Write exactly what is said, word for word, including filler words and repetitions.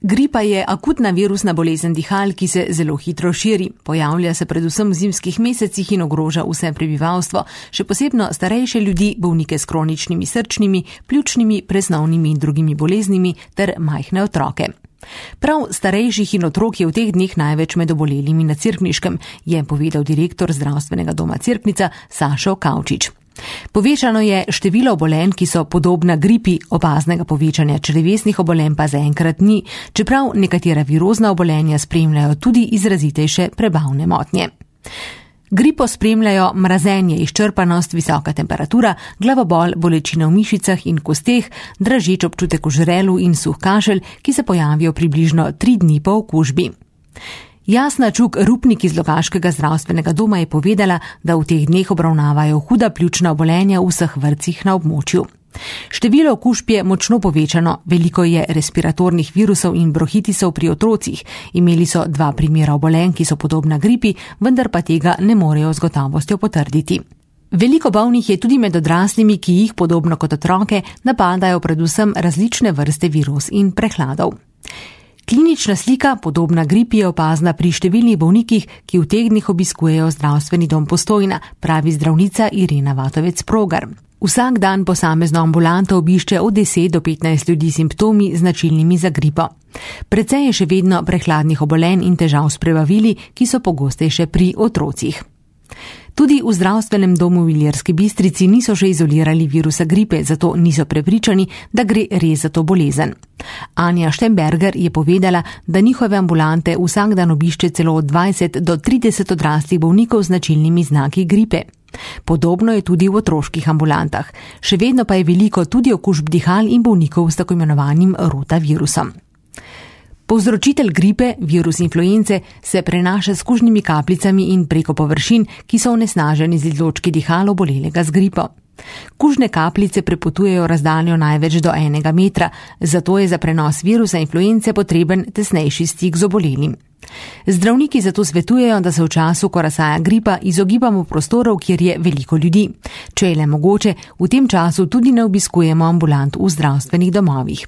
Gripa je akutna virusna bolezen dihal, ki se zelo hitro širi. Pojavlja se predvsem v zimskih mesecih in ogroža vse prebivalstvo, še posebno starejše ljudi, bolnike s kroničnimi srčnimi, pljučnimi, presnovnimi in drugimi boleznimi ter majhne otroke. Prav starejših in otrok je v teh dneh največ med obolelimi na Cerkniškem, je povedal direktor zdravstvenega doma Cerknica Sašo Kavčič. Povečano je število obolenj, ki so podobna gripi, opaznega povečanja črevesnih obolenj pa zaenkrat ni, čeprav nekatera virozna obolenja spremljajo tudi izrazitejše prebavne motnje. Gripo spremljajo mrazenje, izčrpanost, visoka temperatura, glavobol, bolečine v mišicah in kosteh, dražeč občutek v žrelu in suh kašelj, ki se pojavijo približno tri dni po okužbi. Jasna Čuk Rupnik iz Logaškega zdravstvenega doma je povedala, da v teh dneh obravnavajo huda pljučna obolenja v vseh vrtcih na območju. Število okužb je močno povečano, veliko je respiratornih virusov in bronhitisov pri otrocih. Imeli so dva primera obolenj, ki so podobna gripi, vendar pa tega ne morejo z gotovostjo potrditi. Veliko bolnih je tudi med odraslimi, ki jih, podobno kot otroke, napadajo predvsem različne vrste virus in prehladov. Klinična slika, podobna gripi, je opazna pri številnih bolnikih, ki v teh dneh obiskujejo zdravstveni dom Postojna, pravi zdravnica Irena Vatovec-Progar. Vsak dan posamezno ambulanto obišče od deset do petnajst ljudi s simptomi značilnimi za gripo. Precej je še vedno prehladnih obolenj in težav s prebavili, ki so pogostejše pri otrocih. Tudi v zdravstvenem domu v Ilirski Bistrici niso še izolirali virusa gripe, zato niso prepričani, da gre res za to bolezen. Anja Štemberger je povedala, da njihove ambulante vsak dan obišče celo od dvajset do trideset odraslih bolnikov z značilnimi znaki gripe. Podobno je tudi v otroških ambulantah. Še vedno pa je veliko tudi okužb dihal in bolnikov s tako imenovanim rotavirusom. Povzročitelj gripe, virus influence, se prenaša s kužnimi kapljicami in preko površin, ki so onesnaženi z izločki dihal obolelega z gripo. Kužne kapljice prepotujejo razdaljo največ do enega metra, zato je za prenos virusa influence potreben tesnejši stik z obolelim. Zdravniki zato svetujejo, da se v času, ko razsaja gripa, izogibamo prostorov, kjer je veliko ljudi. Če je le mogoče, v tem času tudi ne obiskujemo ambulant v zdravstvenih domovih.